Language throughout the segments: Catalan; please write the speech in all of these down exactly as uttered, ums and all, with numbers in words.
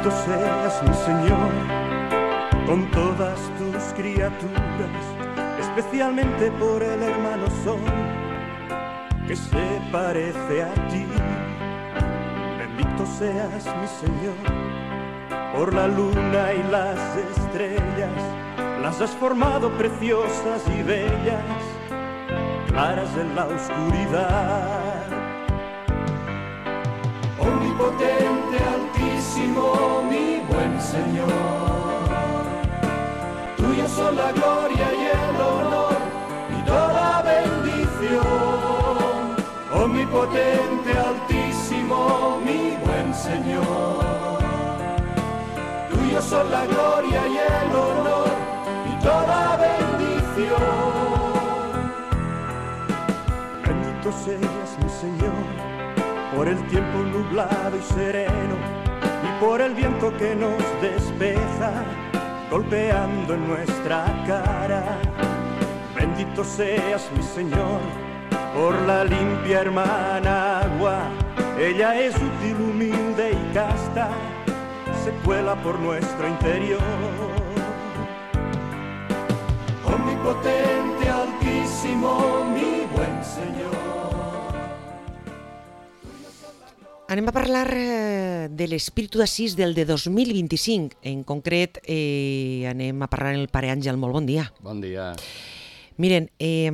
Bendito seas, mi Señor, con todas tus criaturas, especialmente por el hermano Sol, que se parece a ti. Bendito seas, mi Señor, por la luna y las estrellas, las has formado preciosas y bellas, claras en la oscuridad. Omnipotente, altísimo, mi buen Señor, tuyo son la gloria y el honor y toda bendición. Omnipotente, altísimo, mi buen Señor, tuyo son la gloria y el honor y toda bendición. Bendito seas, mi Señor, por el tiempo nublado y sereno y por el viento que nos despeja, golpeando en nuestra cara. Bendito seas, mi Señor, por la limpia hermana agua. Ella es útil, humilde y casta, se cuela por nuestro interior. Omnipotente, altísimo, mi buen Señor. Anem a parlar eh, de l'Espíritu d'Assís del de dos mil vint-i-cinc. En concret, eh, anem a parlar amb el pare Àngel. Molt bon dia. Bon dia. Miren, eh,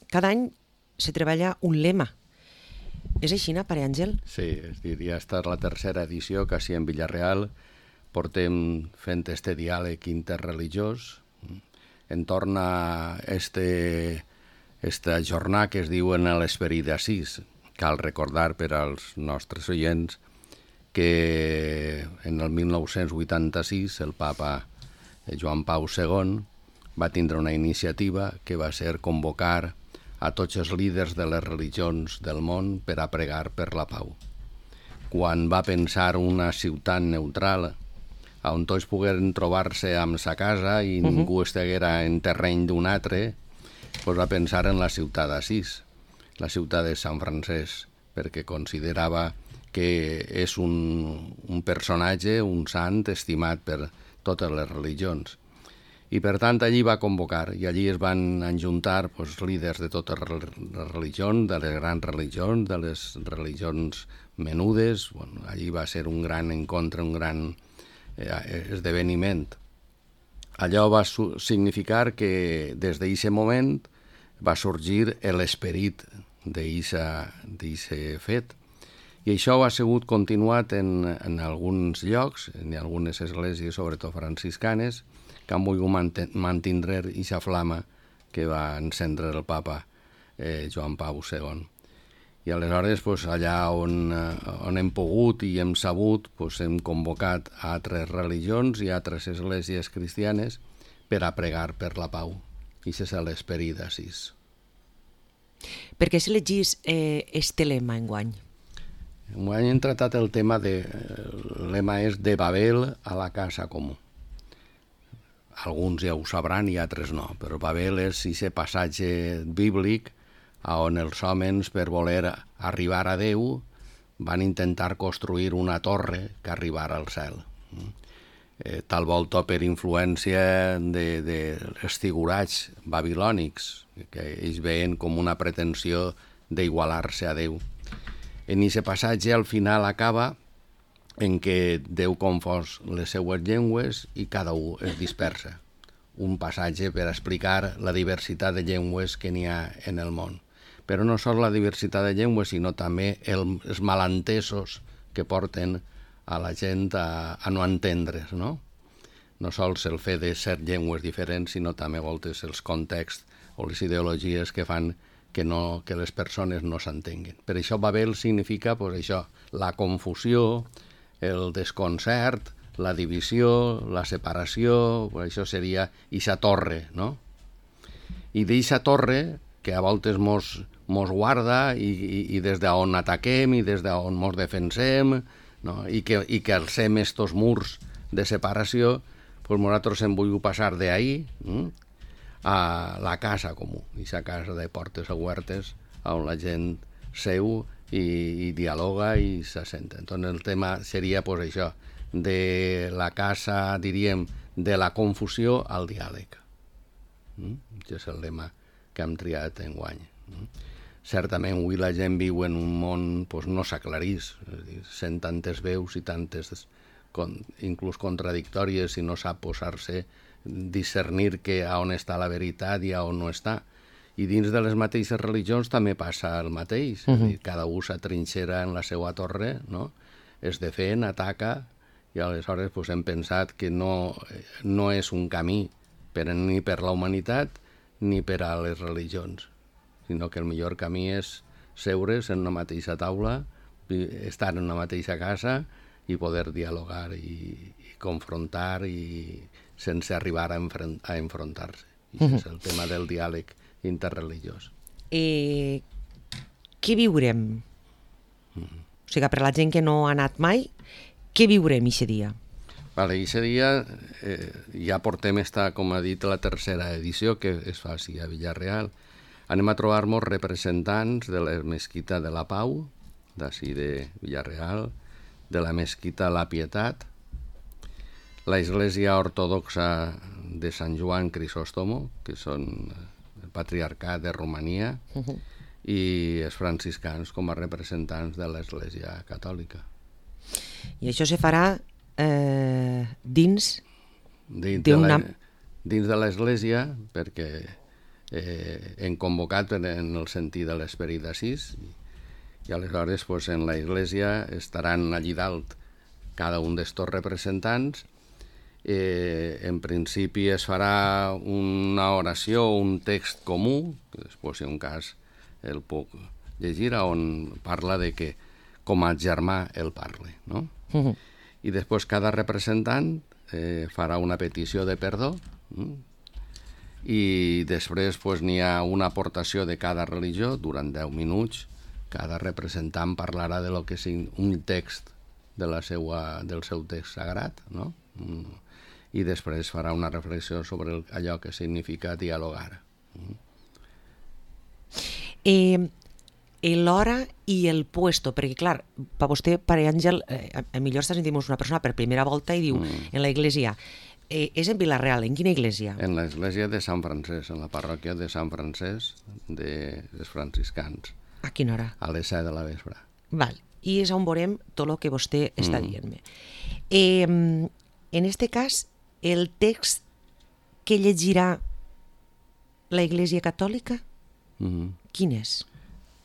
cada any se treballa un lema. És així, no, pare Àngel? Sí, és dir, ja està la tercera edició, quasi en Villarreal. Portem fent este diàleg interreligiós entorn a este, esta jornada que es diu en l'Esperit d'Assís. Cal recordar per als nostres oients que en el mil nou-cents vuitanta-sis el papa Joan Pau segon va tindre una iniciativa que va ser convocar a tots els líders de les religions del món per a pregar per la pau. Quan va pensar una ciutat neutral on tots pogueren trobar-se amb sa casa i uh-huh. ningú estiguera en terreny d'un altre, doncs va pensar en la ciutat d'Assís, la ciutat de Sant Francesc, perquè considerava que és un, un personatge, un sant estimat per totes les religions. I per tant allí va convocar, i allí es van enjuntar pues, líders de totes les religions, de les grans religions, de les religions menudes. Bueno, allí va ser un gran encontre, un gran eh, esdeveniment. Allò va significar que des d'aquest moment va sorgir l'esperit d'aquest fet. I això ha sigut continuat en, en alguns llocs, en algunes esglésies, sobretot franciscanes, que han volgut mantindre aquesta flama que va encendre el papa eh, Joan Pau segon. I aleshores, pues, allà on, on hem pogut i hem sabut, pues, hem convocat a altres religions i a altres esglésies cristianes per a pregar per la pau. I això és l'esperit d'Assís. Per què s'elegís eh, este lema enguany? Enguany hem tractat el tema de... El lema és de Babel a la casa comú. Alguns ja ho sabran i altres no, però Babel és aquest passatge bíblic on els homes, per voler arribar a Déu, van intentar construir una torre que arribara al cel. Eh, tal volta per influència de, de els figurats babilònics, que ells veien com una pretensió d'igualar-se a Déu. En aquest passatge, al final, acaba en què Déu confós les seues llengües i cada un es dispersa. Un passatge per explicar la diversitat de llengües que n'hi ha en el món. Però no sols la diversitat de llengües, sinó també el, els malentesos que porten a la gent a, a no entendre's, no? No sols el fet de ser llengües diferents, sinó també voltes els contexts o les ideologies que fan que, no, que les persones no s'entenguen. Per això Babel significa, pues, això, la confusió, el desconcert, la divisió, la separació, pues això seria ixa torre, no? I d'eixa torre, que a voltes mos, mos guarda i, i, i des d'on ataquem i des d'on mos defensem, no? I que, i que alcem estos murs de separació, pues nosaltres hem volgut passar d'ahí hm? a la casa comú, ixa casa de portes obertes on la gent seu i, i dialoga i se sent. Entonces el tema seria pues, això, de la casa, diríem, de la confusió al diàleg. Mm? Aquest és el lema que hem triat enguany. Mm? Certament, avui la gent viu en un món pues, no s'aclarís, sent tantes veus i tantes con, inclús contradictòries i no sap posar-se, discernir que a on està la veritat i a on no està. I dins de les mateixes religions també passa el mateix. Uh -huh. És a dir, cada un s'atrinxera en la seva torre, no? Es defen, ataca, i aleshores pues, hem pensat que no, no és un camí per, ni per la humanitat ni per a les religions, sinó que el millor camí és seure's en una mateixa taula, estar en una mateixa casa i poder dialogar i, i confrontar i sense arribar a, enfront, a enfrontar-se. I uh -huh. és el tema del diàleg interreligiós. Eh, què viurem? Mm. O sigui, per la gent que no ha anat mai, què viurem aquest dia? Vale, aquest dia eh, ja portem esta, com ha dit, la tercera edició que es fa així a Villarreal. Anem a trobar-nos representants de la Mesquita de la Pau, d'ací de Villarreal, de la Mesquita La Pietat, la Església Ortodoxa de Sant Joan Crisòstomo, que són el Patriarcat de Romania, uh -huh. i els franciscans com a representants de l'Església Catòlica. I això se farà eh, dins, dins d'una... de dins de l'Església, perquè eh, hem convocat en el sentit de l'esperit d'Assís, i aleshores pues, en l'Església estaran allí dalt cada un d'estos representants. Eh, en principi es farà una oració o un text comú, que després, si un cas, el puc llegir, on parla de que com a germà el parle, no? Uh-huh. I després cada representant eh, farà una petició de perdó, mm? I després pues, n'hi ha una aportació de cada religió durant deu minuts. Cada representant parlarà de lo que és un text de la seua, del seu text sagrat, no? Mm. I després farà una reflexió sobre el, allò que significa dialogar. Mm. Eh, l'hora i el puesto, perquè clar, per vostè, pare Àngel, eh, a millor està sentint una persona per primera volta i diu, mm. en la iglesia, eh, és en Vilareal, en quina iglesia? En l'església de Sant Francesc, en la parròquia de Sant Francesc de les franciscans. A quina hora? A les set de la vespre. Val, i és on veurem tot el que vostè està mm. dient-me. Eh, en este cas, el text que llegirà la Iglesia Catòlica, mm. quin és?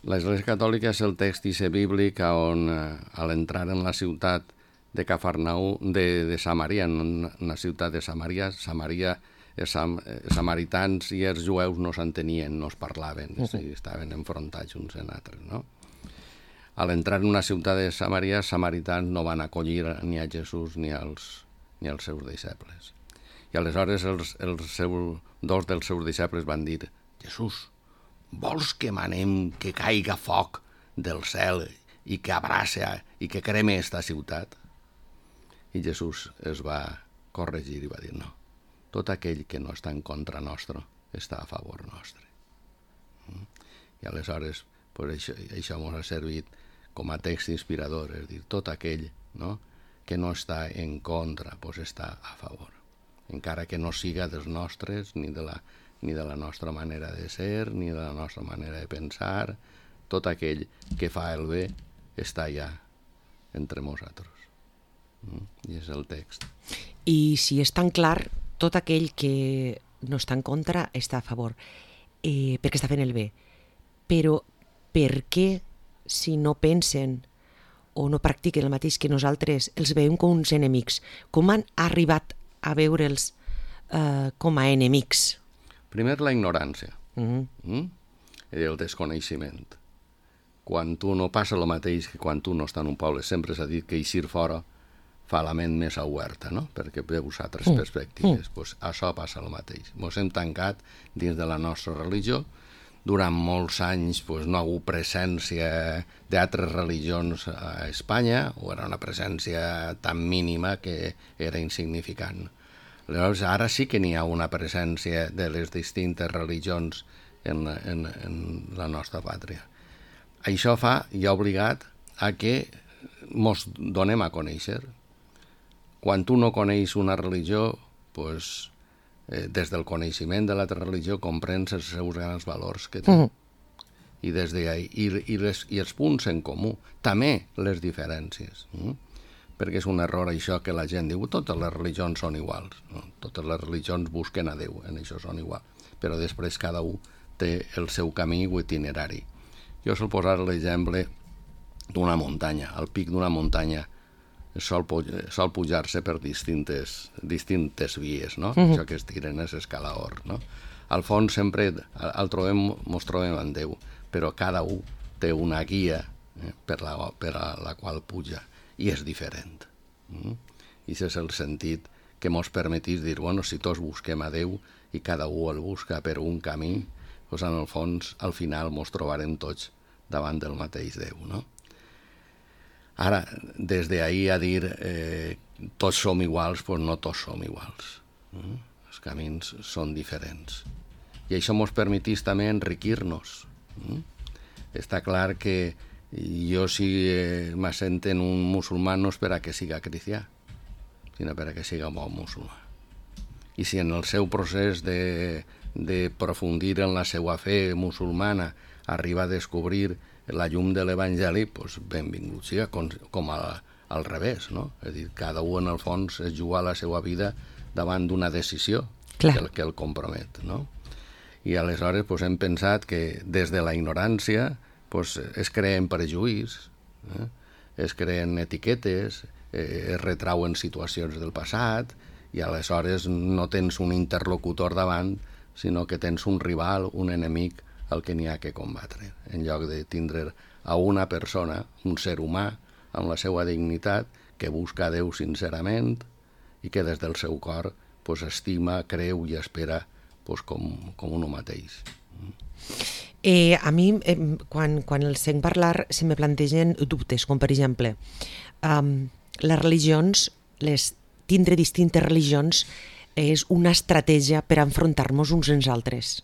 L'Església Catòlica és el text ixe bíblic on, a l'entrar en la ciutat de Cafarnaú, de, de Samaria, en la ciutat de Samaria, Samaria, els sam, samaritans i els jueus no s'entenien, no es parlaven, uh -huh. estaven enfrontats uns en altres, no? A l'entrar en una ciutat de Samaria, els samaritans no van acollir ni a Jesús ni als, ni als seus deixebles. I aleshores els, els seu, dos dels seus deixebles van dir: Jesús, vols que manem que caiga foc del cel i que abraça i que creme esta ciutat? I Jesús es va corregir i va dir: no, tot aquell que no està en contra nostre està a favor nostre. I aleshores pues, això, això ens ha servit com a text inspirador, és dir, tot aquell, no, que no està en contra pues, està a favor, encara que no siga dels nostres ni de la ni de la nostra manera de ser, ni de la nostra manera de pensar. Tot aquell que fa el bé està allà entre nosaltres. Mm? I és el text. I si és tan clar, tot aquell que no està en contra està a favor, eh, perquè està fent el bé. Però per què, si no pensen o no practiquen el mateix que nosaltres, els veiem com uns enemics? Com han arribat a veure'ls eh, com a enemics? Primer, la ignorància, mm-hmm. mm? el desconeixement. Quan tu no passa el mateix que quan tu no estàs en un poble, sempre s'ha dit que eixir fora fa la ment més oberta, no? Perquè veus altres mm. perspectives. Mm. Pues això passa el mateix. Ens hem tancat dins de la nostra religió. Durant molts anys pues, no ha hagut presència d'altres religions a Espanya, o era una presència tan mínima que era insignificant. Llavors, ara sí que n'hi ha una presència de les distintes religions en, en, en la nostra pàtria. Això fa i ha obligat a que ens donem a conèixer. quan tu no coneix una religió, pues, eh, des del coneixement de l'altra religió comprens els seus grans valors que té. Mm. I, des de ahí, i, i, les, i els punts en comú, també les diferències. Mm? Perquè és un error això que la gent diu totes les religions són iguals. No? Totes les religions busquen a Déu, en això són iguals. Però després cada un té el seu camí o itinerari. Jo sol posar l'exemple d'una muntanya, al pic d'una muntanya sol, sol pujar-se per distintes, distintes vies, no? Uh-huh. Això que es tiren és escalaor, no? Al fons sempre el trobem, mos trobem en Déu, però cada un té una guia eh, per, la, per a la qual puja, i és diferent. Mm? I aquest és el sentit que mos permetís dir, bueno, si tots busquem a Déu i cada un el busca per un camí, doncs en el fons, al final, mos trobarem tots davant del mateix Déu, no? Ara, des d'ahir a dir eh, tots som iguals, doncs no tots som iguals. Mm? Els camins són diferents. I això ens permetís també enriquir-nos. Mm? Està clar que jo si eh, m'assenten un musulmà no és per a que siga cristià, sinó per a que siga bon musulmà. I si en el seu procés de, de profundir en la seva fe musulmana arriba a descobrir la llum de l'Evangeli, doncs benvingut siga, com, com a, al revés, no? És a dir, cada un en el fons es juga la seva vida davant d'una decisió que el, que el compromet, no? I aleshores doncs, hem pensat que des de la ignorància doncs, es creen prejuís, eh? es creen etiquetes, eh, es retrauen situacions del passat, i aleshores no tens un interlocutor davant, sinó que tens un rival, un enemic, el que n'hi ha que combatre, en lloc de tindre a una persona, un ser humà, amb la seva dignitat, que busca a Déu sincerament i que des del seu cor pues, estima, creu i espera pues, com, com un mateix. Eh, a mi, eh, quan, quan els sent parlar, se me plantegen dubtes, com per exemple, um, les religions, les, tindre distintes religions és una estratègia per enfrontar-nos uns als altres.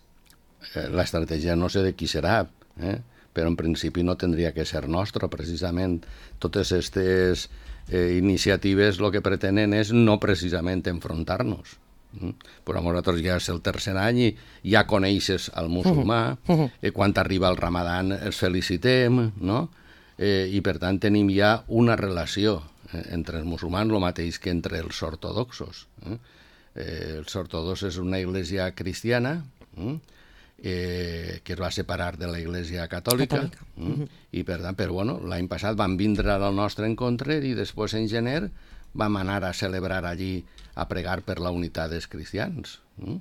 L'estratègia no sé de qui serà, eh? però en principi no tindria que ser nostra, precisament. Totes aquestes eh, iniciatives el que pretenen és no precisament enfrontar-nos. Mm? Però nosaltres ja és el tercer any i ja coneixes el musulmà, uh -huh. eh, quan arriba el Ramadan els felicitem, no? eh, i per tant tenim ja una relació eh, entre els musulmans, el mateix que entre els ortodoxos. Eh? Eh, els ortodoxos és una església cristiana, eh? Eh, que es va separar de la Iglesia Catòlica, Catòlica. Mm, uh-huh. i per tant, però bueno, l'any passat van vindre al nostre encontre i després en gener vam anar a celebrar allí, a pregar per la unitat dels cristians. Mm?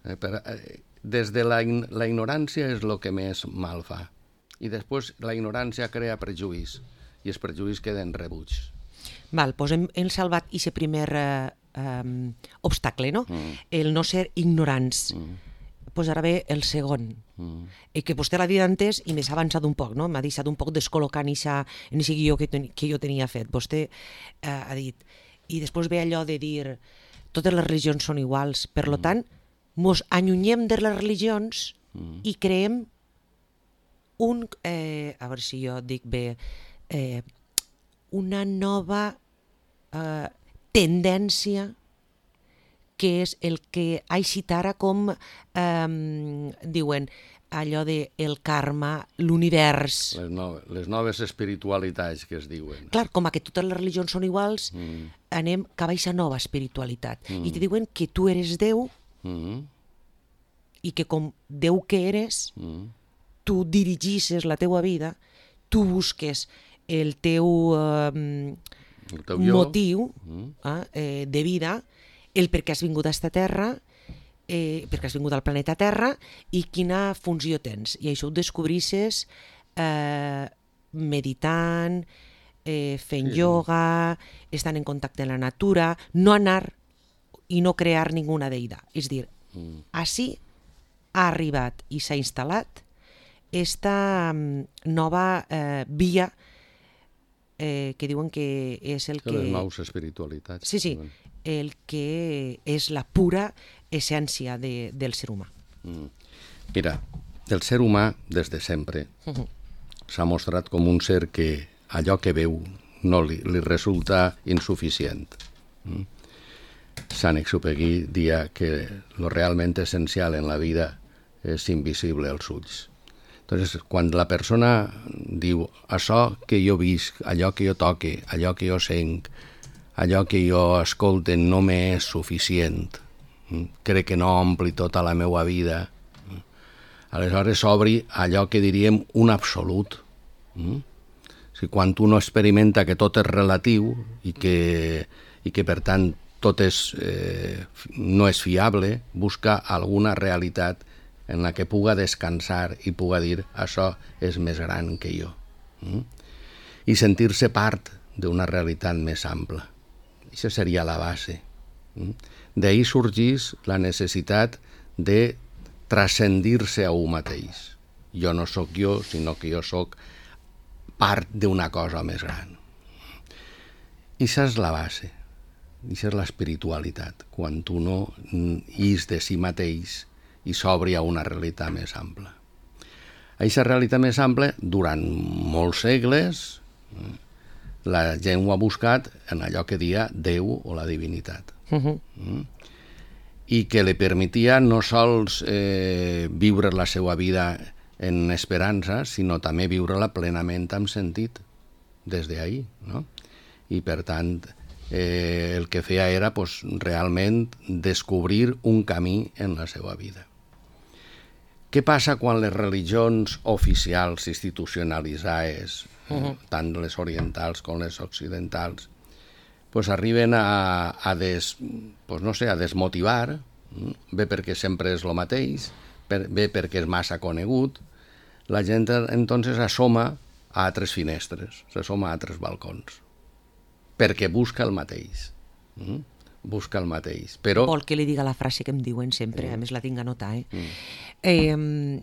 Eh, per, eh, des de la, la ignorància és el que més mal fa. I després la ignorància crea prejuís i els prejuís queden rebuts. Val, doncs hem, hem salvat aquest primer eh, eh, obstacle, no? Mm. El no ser ignorants. Mm. Pues ara ve el segon, mm. eh, que vostè l'ha dit antes i m'ha avançat un poc, no? M'ha deixat un poc descol·locar en aquest guió que, ten, que jo tenia fet. Vostè eh, ha dit, i després ve allò de dir totes les religions són iguals, per mm. tant, mos allunyem de les religions mm. i creem un, eh, a veure si jo dic bé, eh, una nova eh, tendència que és el que ha eixit ara com, eh, diuen, allò de el karma, l'univers... Les, no, les noves espiritualitats que es diuen. Clar, com que totes les religions són iguals, mm. anem cap a aquesta nova espiritualitat. Mm. I te diuen que tu eres Déu mm. i que com Déu que eres, mm. tu dirigisses la teua vida, tu busques el teu, eh, el teu motiu mm. eh, de vida, el per què has vingut a aquesta terra, eh, per què has vingut al planeta Terra i quina funció tens. I això ho descobrisses eh, meditant, eh, fent sí. ioga, estant en contacte amb la natura, no anar i no crear ninguna deïda. És dir, mm. així ha arribat i s'ha instal·lat esta nova eh, via eh, que diuen que és el que... Les nous espiritualitats. Sí, sí, el que és la pura essència de, del ser humà. Mm. Mira, el ser humà, des de sempre, uh-huh. s'ha mostrat com un ser que allò que veu no li, li resulta insuficient. Mm? Saint-Exupéry dia que lo realment essencial en la vida és invisible als ulls. Entonces, quan la persona diu això que jo visc, allò que jo toque, allò que jo senc, allò que jo escolte no m'és suficient, crec que no ompli tota la meva vida, aleshores s'obri allò que diríem un absolut. Si quan un experimenta que tot és relatiu i que, i que per tant tot és, eh, no és fiable, busca alguna realitat en la que puga descansar i puga dir això és més gran que jo. Mm? I sentir-se part d'una realitat més ampla. Això seria la base. Mm? D'ahir sorgís la necessitat de transcendir-se a un mateix. Jo no sóc jo, sinó que jo sóc part d'una cosa més gran. I això és la base. Això és l'espiritualitat, quan tu no is de si mateix i s'obri a una realitat més ampla. Aquesta realitat més ampla, durant molts segles, la gent ho ha buscat en allò que dia Déu o la divinitat. Uh-huh. Mm? I que li permetia no sols eh, viure la seva vida en esperança, sinó també viure-la plenament amb sentit, des d'ahir, no? I per tant, eh, el que feia era pues, realment descobrir un camí en la seva vida. Què passa quan les religions oficials institucionalitzades, uh-huh. tant les orientals com les occidentals, pues arriben a, a, des, pues no sé, a desmotivar, bé perquè sempre és el mateix, bé perquè és massa conegut, la gent entonces assoma a altres finestres, s'assoma a altres balcons, perquè busca el mateix. Mm? Busca el mateix. Però... Vol que li diga la frase que em diuen sempre, sí. A més la tinc a notar. Eh? Mm. Eh,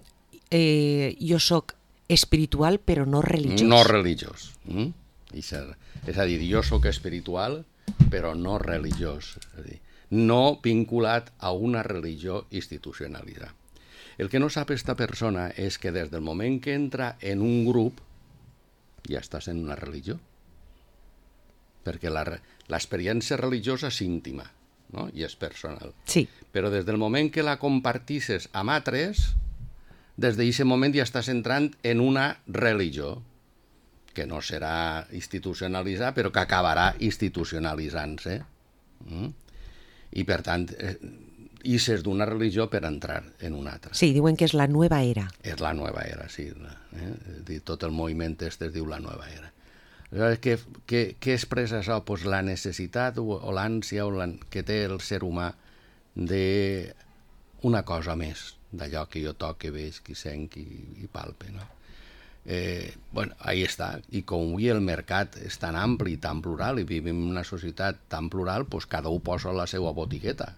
eh, jo sóc espiritual però no religiós. No religiós. Mm? És a dir, jo sóc espiritual però no religiós. És a dir, no vinculat a una religió institucionalitzada. El que no sap aquesta persona és que des del moment que entra en un grup ja estàs en una religió. Perquè l'experiència religiosa és íntima, no? I és personal. Sí. Però des del moment que la compartisses amb altres, des d'aquest moment ja estàs entrant en una religió, que no serà institucionalitzada, però que acabarà institucionalitzant-se. Mm? I per tant, eh, ixes d'una religió per entrar en una altra. Sí, diuen que és la nova era. És la nova era, sí. Eh? Tot el moviment este es diu la nova era. Què, què, què expressa això? Pues la necessitat o, o l'ànsia o la, que té el ser humà d'una cosa més, d'allò que jo toque, veig, que senc i, i palpe. No? Eh, bueno, ahí està. I com avui el mercat és tan ampli i tan plural i vivim en una societat tan plural, pues cada un posa la seva botigueta.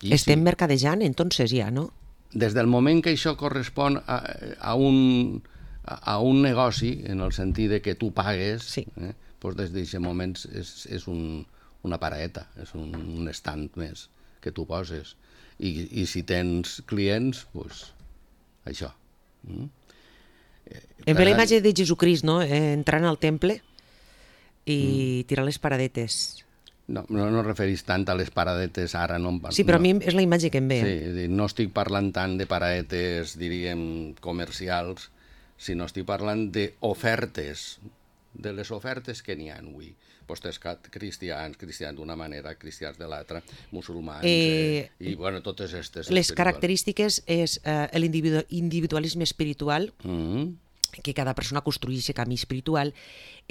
I Estem sí. mercadejant, entonces ja, no? Des del moment que això correspon a, a un... a un negoci, en el sentit de que tu pagues, sí. eh, doncs des d'aquest moment és, és un, una paraeta, és un, un estand més que tu poses. I, i si tens clients, doncs això. Mm? Eh, em ve la imatge de Jesucrist, no? Eh, entrant al temple i mm. tirar les paradetes. No, no, no referís tant a les paradetes ara. No, sí, però no. a mi és la imatge que em ve. Sí, no estic parlant tant de paradetes, diríem, comercials, sinó estic parlant d'ofertes, de les ofertes que n'hi ha avui. Vostès cristians, cristians d'una manera, cristians de l'altra, musulmans, eh, eh, i bueno, totes aquestes... Les característiques és eh, l'individualisme espiritual, mm-hmm. que cada persona construeix aquest camí espiritual,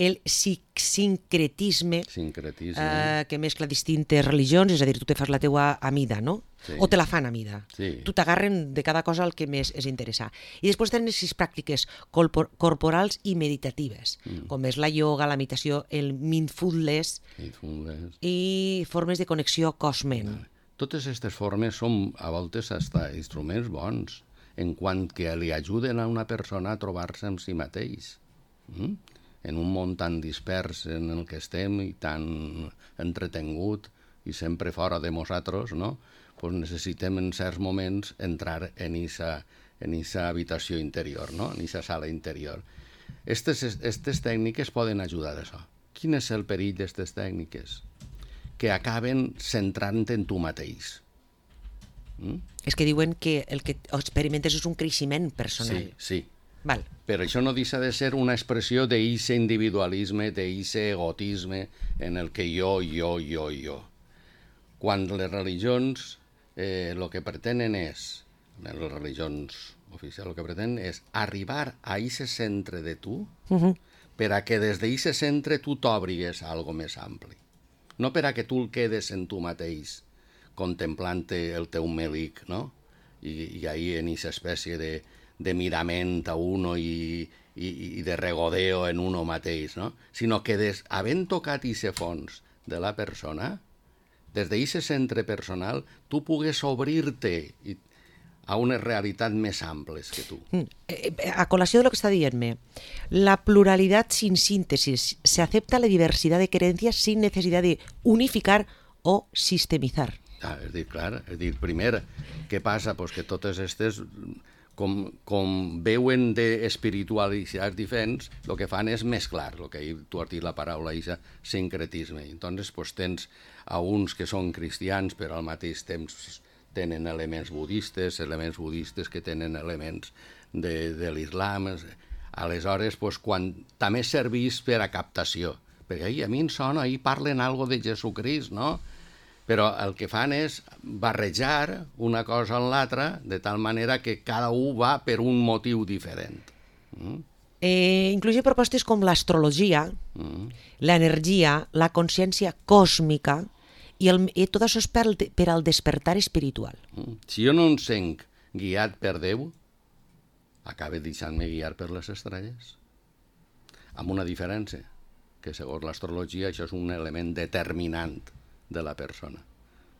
el sincretisme, sincretisme. Eh, que mescla distintes religions, és a dir, tu te fas la teua amida, no? Sí. O te la fan amida. Sí. Tu t'agarren de cada cosa el que més és interessar. I després tenen les pràctiques corpor corporals i meditatives, mm. com és la ioga, la meditació, el mindfulness, mindfulness. I formes de connexió cos-ment. Vale. Totes aquestes formes són a voltes hasta instruments bons, en quant que li ajuden a una persona a trobar-se amb si mateix. Mm? En un món tan dispers en el que estem i tan entretengut i sempre fora de nosaltres, no? Pues necessitem en certs moments entrar en aquesta en esa habitació interior, no? En aquesta sala interior. Aquestes tècniques poden ajudar a això. Quin és el perill d'aquestes tècniques? que acaben centrant en tu mateix. Mm? És que diuen que el que experimentes és un creixement personal. Sí, sí. Val. Però això no deixa de ser una expressió d'eixe individualisme, d'eixe egotisme en el que jo, jo, jo, jo. Quan les religions eh, el que pretenen és, les religions oficials, el que pretenen és arribar a eixe centre de tu uh-huh. per a que des d'eixe centre tu t'obrigues a algo més ampli. No per a que tu el quedes en tu mateix, contemplant el teu melic, no? I, i ahí en eixa espècie de, de mirament a uno i, i, i de regodeo en uno mateix, no? Sinó que des, havent tocat eixe fons de la persona, des d'eixe centre personal, tu pugues obrir-te a unes realitats més amples que tu. A colació de lo que está diciéndome, la pluralidad sin síntesis, se acepta la diversidad de creencias sin necesidad de unificar o sistemizar. Ah, és dir, clar, és dir, primer, què passa? Pues que totes aquestes, com, com veuen d'espiritualitats diferents, el que fan és mesclar, el que ahir tu has dit la paraula, això, sincretisme. Entonces, pues, tens a uns que són cristians, però al mateix temps tenen elements budistes, elements budistes que tenen elements de, de l'islam. Aleshores, pues, quan també serveix per a captació, perquè ahir, a mi em sona, ahir parlen algo de Jesucrist, no? Però el que fan és barrejar una cosa amb l'altra de tal manera que cada un va per un motiu diferent. Mm? Eh, incluye propostes com l'astrologia, mm. l'energia, la consciència còsmica i, el, i tot això és per, per al despertar espiritual. Mm. Si jo no em sent guiat per Déu, acabe deixant-me guiar per les estrelles. Amb una diferència, que segons l'astrologia això és un element determinant de la persona,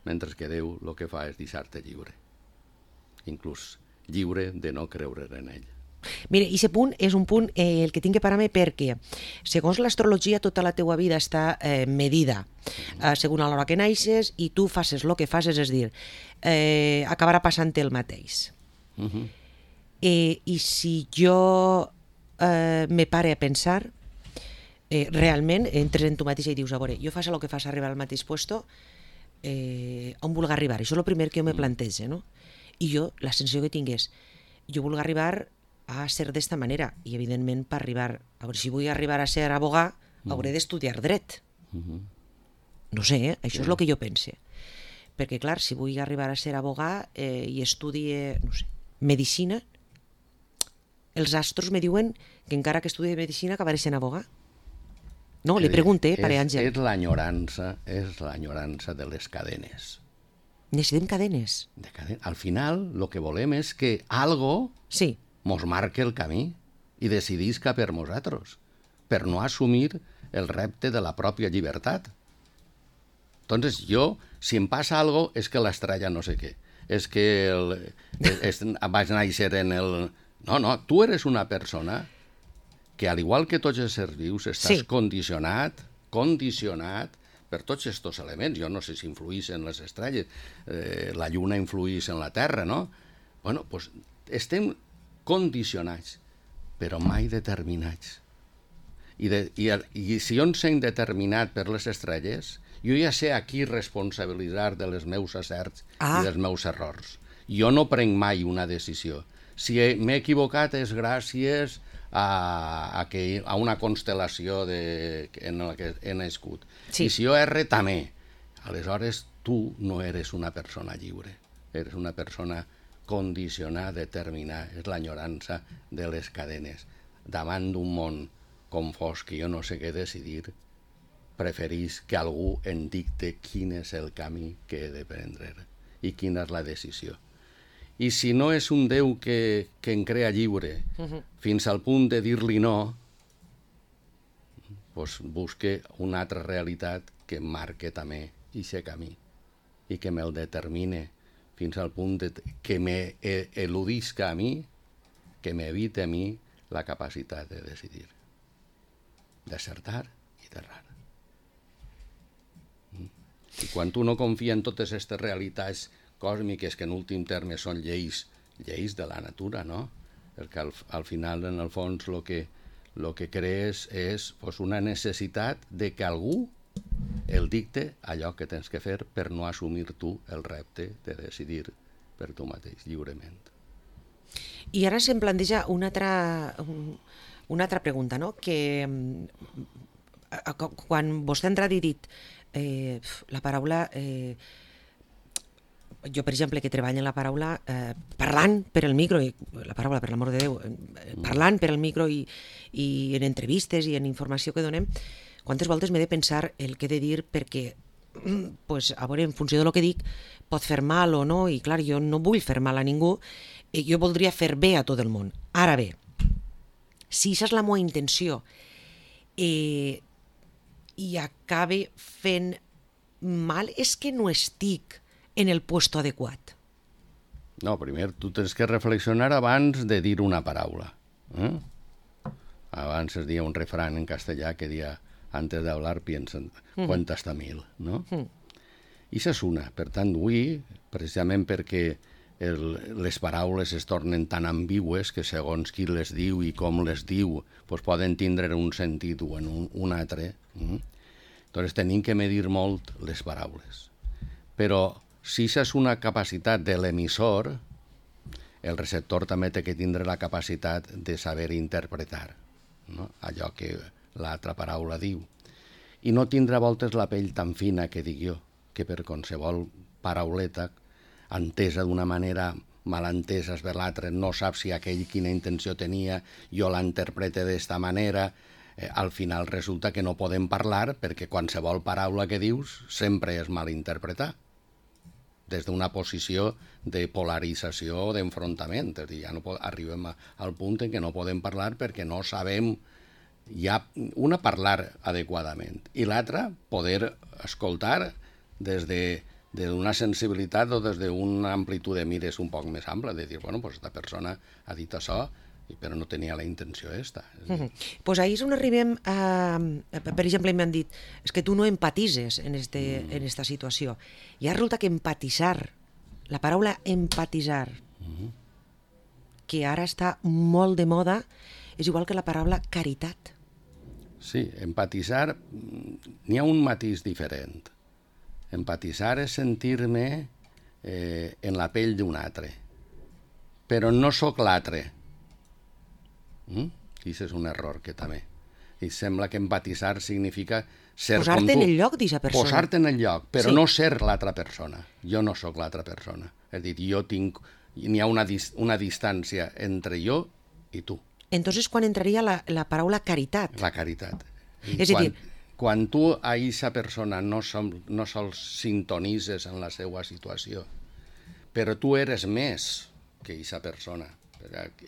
mentre que Déu el que fa és deixar-te lliure, inclús lliure de no creure en ell. Mira, i aquest punt és un punt eh, el que tinc que parar-me perquè, segons l'astrologia, tota la teua vida està eh, medida, eh, segons a l'hora que naixes, i tu faces el que faces, és dir, eh, acabarà passant el mateix. Uh-huh. eh, I si jo eh, me pare a pensar, Eh, realment entres en tu mateixa i dius, a veure, jo faig el que fas arribar al mateix puesto, eh, on vulgui arribar? Això és el primer que jo me plantejo, no? I jo, la sensació que tinc és, jo vulgui arribar a ser d'esta manera, i evidentment per arribar, a veure, si vull arribar a ser abogà, hauré d'estudiar dret. No sé, eh? Això és el que jo pense. Perquè, clar, si vull arribar a ser abogà eh, i estudie, no sé, medicina, els astros me diuen que encara que estudie medicina acabaré sent abogà. No, li pregunte, pare Àngel. És l'enyorança, és l'enyorança de les cadenes. Necessitem cadenes. De caden... Al final, el que volem és que algo sí. mos marque el camí i decidisca per nosaltres, per no assumir el repte de la pròpia llibertat. Entonces, jo, si em passa algo, és que l'estrella no sé què. És que el, és, vaig néixer en el... No, no, tu eres una persona que, al igual que tots els éssers vius, estàs sí. condicionat, condicionat per tots aquests elements. Jo no sé si influís en les estrelles, eh, la lluna influís en la Terra, no? Bueno, doncs estem condicionats, però mai determinats. I, de, i, i si jo em sent determinat per les estrelles, jo ja sé a qui responsabilitzar de les meus acerts ah. i dels meus errors. Jo no prenc mai una decisió. Si m'he equivocat és gràcies a, a, que, a una constel·lació de, en la que he nascut. Sí. I si jo erre, també. Aleshores, tu no eres una persona lliure. Eres una persona condicionada, determinada. És l'enyorança de les cadenes. Davant d'un món confós que jo no sé què decidir, preferís que algú em dicte quin és el camí que he de prendre i quina és la decisió. I si no és un Déu que, que em crea lliure, uh-huh. fins al punt de dir-li no, doncs busque una altra realitat que em marque també aquest camí i que me'l determine fins al punt de, que m'eludisca a mi, que m'evite a mi la capacitat de decidir, d'acertar i d'errar. I quan tu no confia en totes aquestes realitats còsmiques, que en últim terme són lleis, lleis de la natura, no? Perquè al, al final, en el fons, el que, lo que crees és pues, una necessitat de que algú el dicte allò que tens que fer per no assumir tu el repte de decidir per tu mateix, lliurement. I ara se'm planteja una altra, un, una altra pregunta, no? Que quan vostè ha entrat i dit eh, la paraula... Eh, jo, per exemple, que treballo en la paraula eh, parlant per el micro, i, la paraula, per l'amor de Déu, eh, parlant per el micro i, i en entrevistes i en informació que donem, quantes voltes m'he de pensar el que he de dir perquè, pues, a veure, en funció del que dic, pot fer mal o no, i clar, jo no vull fer mal a ningú, i jo voldria fer bé a tot el món. Ara bé, si aquesta és la meva intenció eh, i acabe fent mal, és que no estic en el puesto adequat. No, primer tu tens que reflexionar abans de dir una paraula. Eh? Abans es dia un refrán en castellà que dia antes de hablar piensa, cuenta hasta mil, no? Mm. I això és una. Per tant, avui, precisament perquè el, les paraules es tornen tan ambigües que segons qui les diu i com les diu pues poden tindre un sentit o en un, un altre. Mm? Doncs tenim que medir molt les paraules. Però si això és una capacitat de l'emissor, el receptor també té que tindre la capacitat de saber interpretar, no? Allò que l'altra paraula diu. I no tindre a voltes la pell tan fina que dic jo, que per qualsevol parauleta, entesa d'una manera malentesa per l'altre, no sap si aquell quina intenció tenia, jo la interprete d'esta manera, eh, al final resulta que no podem parlar perquè qualsevol paraula que dius sempre és mal interpretar, des d'una posició de polarització o d'enfrontament. És a dir, ja no arribem a, al punt en què no podem parlar perquè no sabem ja una parlar adequadament i l'altra poder escoltar des de d'una sensibilitat o des d'una amplitud de mires un poc més ampla, de dir, bueno, pues esta persona ha dit això, però no tenia la intenció esta. Doncs uh -huh. pues ahí és on arribem a... Per exemple, m'han dit, és que tu no empatises en, este, mm. en esta situació. I ara resulta que empatitzar, la paraula empatitzar, uh -huh. que ara està molt de moda, és igual que la paraula caritat. Sí, empatitzar, n'hi ha un matís diferent. Empatitzar és sentir-me eh, en la pell d'un altre, però no sóc l'altre. Mm? I això és un error que també. I sembla que empatitzar significa ser com tu. Posar-te en el lloc d'aquesta persona. Posar-te en el lloc, però sí. no ser l'altra persona. Jo no sóc l'altra persona. És a dir, jo tinc... N'hi ha una, dis, una distància entre jo i tu. Entonces, quan entraria la, la paraula caritat? La caritat. I és a dir... Quan tu a aquesta persona no, som, no sols sintonitzes en la seva situació, però tu eres més que aquesta persona.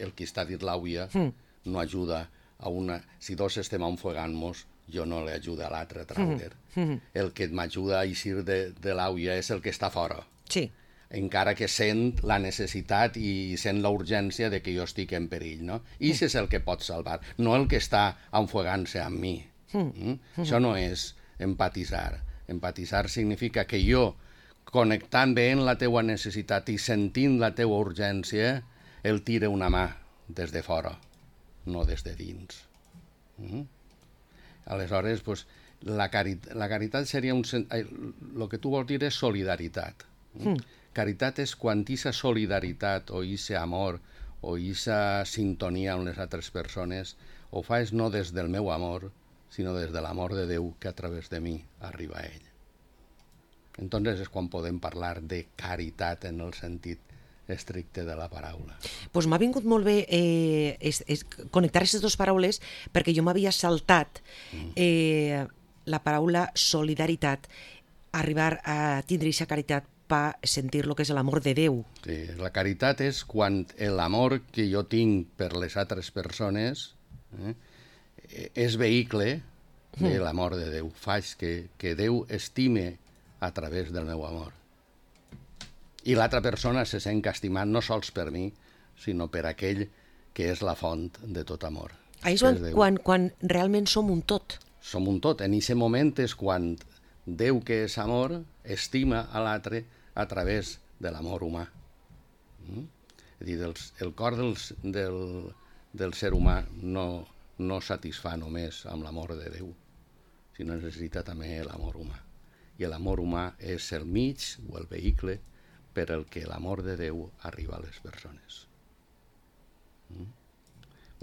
El que està dit l'àvia mm. no ajuda a una... Si dos estem enfogant-nos, jo no li ajuda a l'altre a traure. Mm. Mm. El que m'ajuda a eixir de, de l'àvia és el que està fora. Sí. Encara que sent la necessitat i sent la urgència de que jo estic en perill, no? I això és el que pot salvar, no el que està enfogant-se amb mi. Mm. Mm? Això no és empatitzar. Empatitzar significa que jo, connectant bé en la teua necessitat i sentint la teua urgència, el tira una mà des de fora, no des de dins. Mm? Aleshores, pues, la, carit la caritat seria un... El que tu vols dir és solidaritat. Mm. Caritat és quan aquesta solidaritat o aquest amor o aquesta sintonia amb les altres persones ho fas no des del meu amor, sinó des de l'amor de Déu que a través de mi arriba a ell. Entonces és quan podem parlar de caritat en el sentit estricte de la paraula. Pues m'ha vingut molt bé eh, es, es, connectar aquestes dues paraules perquè jo m'havia saltat eh, la paraula solidaritat, arribar a tindre aquesta caritat per sentir el que és l'amor de Déu. Sí, la caritat és quan l'amor que jo tinc per les altres persones eh, és vehicle de l'amor de Déu. Faig que, que Déu estime a través del meu amor. I l'altra persona se sent estimat no sols per mi, sinó per aquell que és la font de tot amor. Ahí és quan, quan realment som un tot. Som un tot. En aquest moment és quan Déu, que és amor, estima a l'altre a través de l'amor humà. Mm? És a dir, els, el cor dels, del, del ser humà no, no satisfà només amb l'amor de Déu, sinó necessita també l'amor humà. I l'amor humà és el mig o el vehicle per el que l'amor de Déu arriba a les persones. Mm?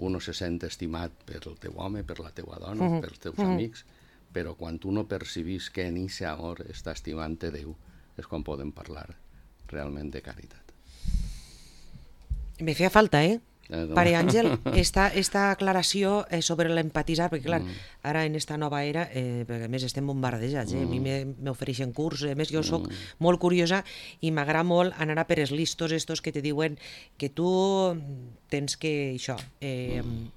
Uno se sent estimat per el teu home, per la teua dona, uh-huh. pels teus uh-huh. amics, però quan tu no percibis que en aquest amor està estimant-te Déu, és quan podem parlar realment de caritat. Me feia falta, eh? Eh, no? Pare Àngel, esta, esta aclaració eh, sobre l'empatitzar, perquè clar, mm. ara en esta nova era, eh, perquè a més estem bombardejats, eh? Mm. a mi m'ofereixen curs, a més jo soc mm. molt curiosa i m'agrada molt anar a per els listos estos que te diuen que tu tens que, això, eh, mm.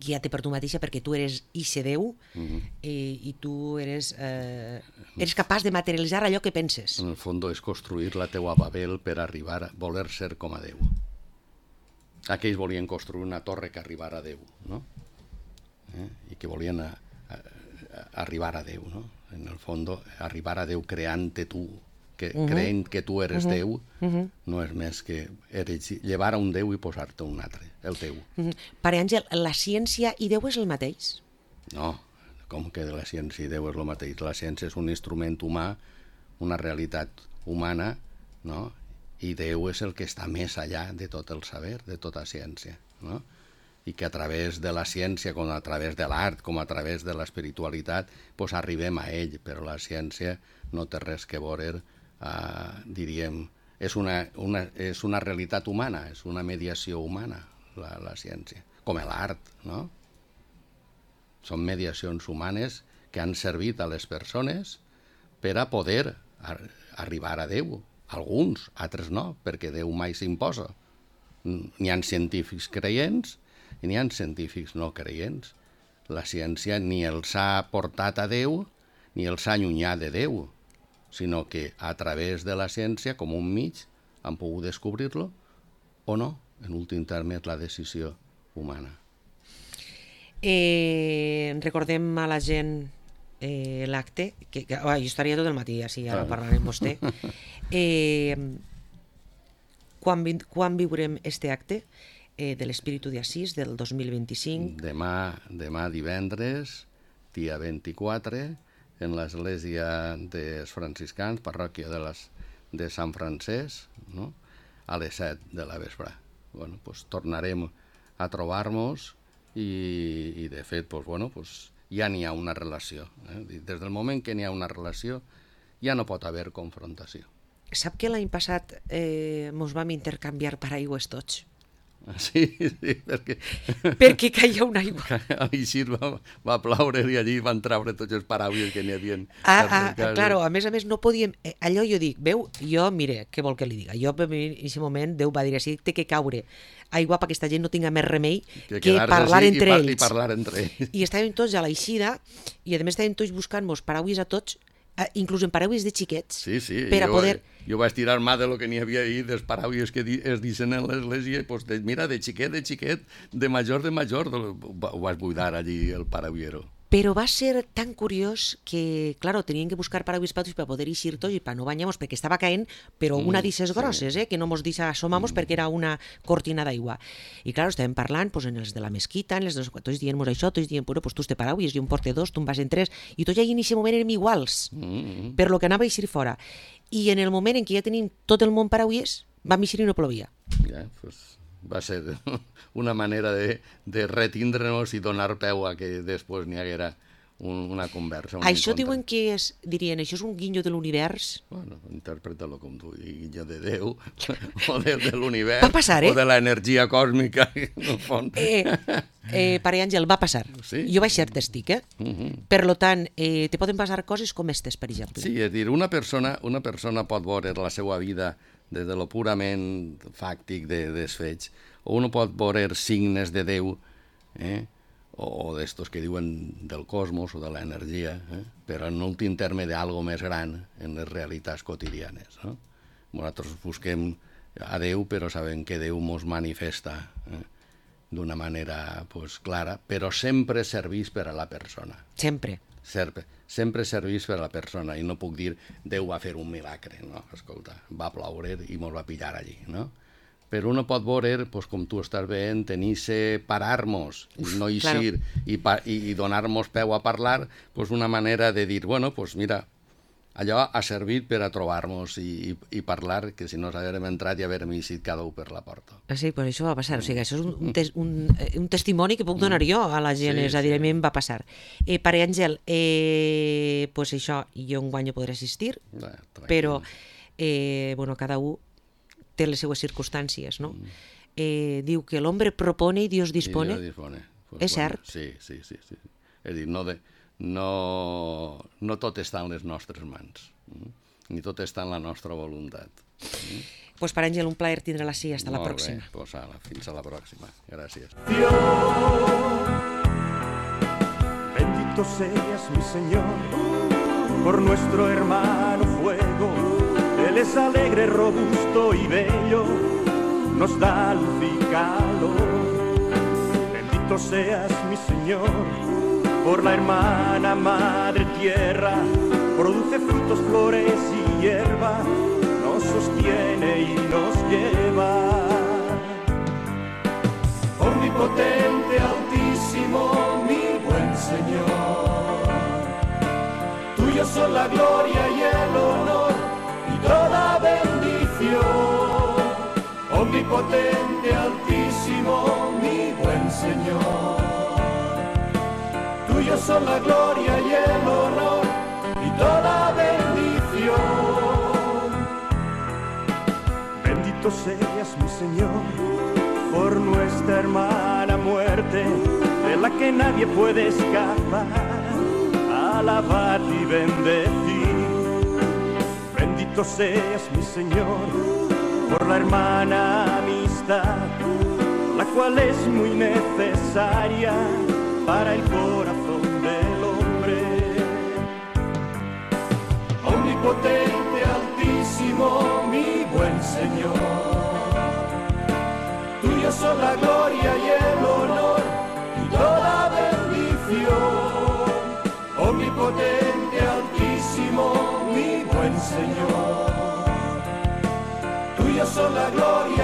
guiar-te per tu mateixa perquè tu eres ixe Déu mm. eh, i tu eres, eh, eres capaç de materialitzar allò que penses. En el fons és construir la teua Babel per arribar a voler ser com a Déu. Aquells volien construir una torre que arribara a Déu, no? Eh? I que volien a, a, a arribar a Déu, no? En el fons, arribar a Déu creant-te tu, que, uh-huh. creient que tu eres uh-huh. Déu, uh-huh. no és més que eres, llevar a un Déu i posar-te un altre, el teu. Uh-huh. Pare Àngel, la ciència i Déu és el mateix? No, com que la ciència i Déu és el mateix? La ciència és un instrument humà, una realitat humana, no? I Déu és el que està més allà de tot el saber, de tota ciència, no? I que a través de la ciència, com a través de l'art, com a través de l'espiritualitat, pues arribem a ell, però la ciència no té res que veure, eh, diríem, és una, una, és una realitat humana, és una mediació humana, la, la ciència, com l'art, no? Són mediacions humanes que han servit a les persones per a poder ar- arribar a Déu. Alguns, altres no, perquè Déu mai s'imposa. N'hi ha científics creients i n'hi ha científics no creients. La ciència ni els ha portat a Déu ni els ha allunyat de Déu, sinó que a través de la ciència, com un mig, han pogut descobrir-lo o no. En últim terme és la decisió humana. Eh, recordem a la gent eh, l'acte, que, que oh, jo estaria tot el matí així, ara parlarem amb vostè. Eh, quan, vi, quan viurem este acte eh, de l'Espíritu d'Assís del dos mil vint-i-cinc? Demà, demà divendres, dia vint-i-quatre, en l'església dels franciscans, parròquia de, les, de Sant Francesc, no? A les set de la vespre. Bueno, pues, tornarem a trobar-nos i, i de fet, pues, bueno, pues, ja n'hi ha una relació. Eh? Des del moment que n'hi ha una relació, ja no pot haver confrontació. Sap que l'any passat eh, mos vam intercanviar paraigües tots? Sí, sí, perquè... perquè caia una aigua. A l'Ixir va, va ploure i allí van treure tots els paraules que n'hi havia. Ah, ah, claro, a més a més no podíem... Eh, allò jo dic, veu, jo, mire, què vol que li diga? Jo, en aquest moment, Déu va dir així, té que caure aigua perquè aquesta gent no tinga més remei que, que parlar entre i, ells. I parlar entre ells. I estàvem tots a l'eixida i a més estàvem tots buscant-nos paraules a tots, eh, inclús en paraules de xiquets, sí, sí, per a jo, poder... Jo vaig tirar mà de lo que n'hi havia ahir, dels paraules que di, es dicen en l'església, pues de, mira, de xiquet, de xiquet, de major, de major, ho vaig buidar allí el parauliero. Però va ser tan curiós que, claro, tenien que buscar paraules patos per poder eixir tots i per no banyar-nos, perquè estava caent, però una mm, d'ixes grosses, eh, que no mos deixa assomar-nos mm. perquè era una cortina d'aigua. I, claro, estàvem parlant pues, en els de la mesquita, en els de... tots dient-nos això, tots dient, bueno, pues tu te paraules, jo em porte dos, tu em vas en tres, i tots allà en aquest moment érem iguals, mm. per lo que anava a eixir fora. I en el moment en què ja tenim tot el món paraules, vam eixir i no plovia. Ja, pues... va ser una manera de, de retindre-nos i donar peu a que després n'hi haguera un, una conversa. Un això encontre. Diuen que és, dirien, això és un guinyo de l'univers? Bueno, interpreta-lo com tu, guinyo de Déu, o de, de l'univers, va passar, eh? o de l'energia còsmica, en el fons. Eh, eh, Pare Àngel, va passar. Sí? Jo vaig ser tèstic, eh? Uh-huh. Per lo tant, eh, te poden passar coses com estes, per exemple. Sí, és dir, una persona, una persona pot veure la seva vida des de lo purament fàctic de, dels fets, o uno pot veure signes de Déu, eh? o, o d'estos que diuen del cosmos o de l'energia, eh? però en últim terme d'algo més gran en les realitats quotidianes. No? Nosaltres busquem a Déu, però sabem que Déu mos manifesta eh? d'una manera pues, clara, però sempre servís per a la persona. Sempre. Sempre, sempre servís per a la persona, i no puc dir Déu va fer un milagre, no? Escolta, va ploure i mos va pillar allí, no? però uno pot veure, pues, com tu estàs veient, tenir-se, parar-nos, i no eixir, claro. i, pa i, i donar-nos peu a parlar, pues, una manera de dir, bueno, pues mira, allò ha servit per a trobar-nos i, i, i parlar, que si no s'haguérem entrat i haguérem eixit cada un per la porta. Ah, sí, pues això va passar, o sigui, això és un, un, tes un, un testimoni que puc donar jo a la gent, sí, és a dir, sí. A mi em va passar. Eh, Pare Àngel, eh, pues això, jo un guany podré assistir, Bé, però, eh, bueno, cada un té les seues circumstàncies, no? Mm. Eh, diu que l'hombre propone i Dios dispone. I Dios dispone. Pues és bueno, cert? Sí, sí, sí, sí. És a dir, no, de, no, no tot està en les nostres mans, mm? ni tot està en la nostra voluntat. Mm? Pues Pare Àngel, un plaer tindre-la així. Hasta Molt la pròxima. Bé, pues ala, fins a la pròxima. Gràcies. Dios, bendito seas mi Señor, por nuestro hermano fuego. Él es alegre, robusto y bello, nos da luz y calor. Bendito seas mi Señor, por la hermana madre tierra, produce frutos, flores y hierba, nos sostiene y nos lleva. Omnipotente, altísimo, mi buen Señor, tuyo son la gloria y el honor y toda bendición. Omnipotente, altísimo, mi buen Señor, tuyo son la gloria y el honor y toda bendición. Bendito seas mi Señor, por nuestra hermana muerte, de la que nadie puede escapar, alabad y bendecir. Bendito seas mi Señor, por la hermana amistad, la cual es muy necesaria para el corazón del hombre. Omnipotente, altísimo, mi buen Señor, tuyo son la gloria y el honor y toda bendición. Omnipotente, altísimo, mi buen Señor, tuyo son la gloria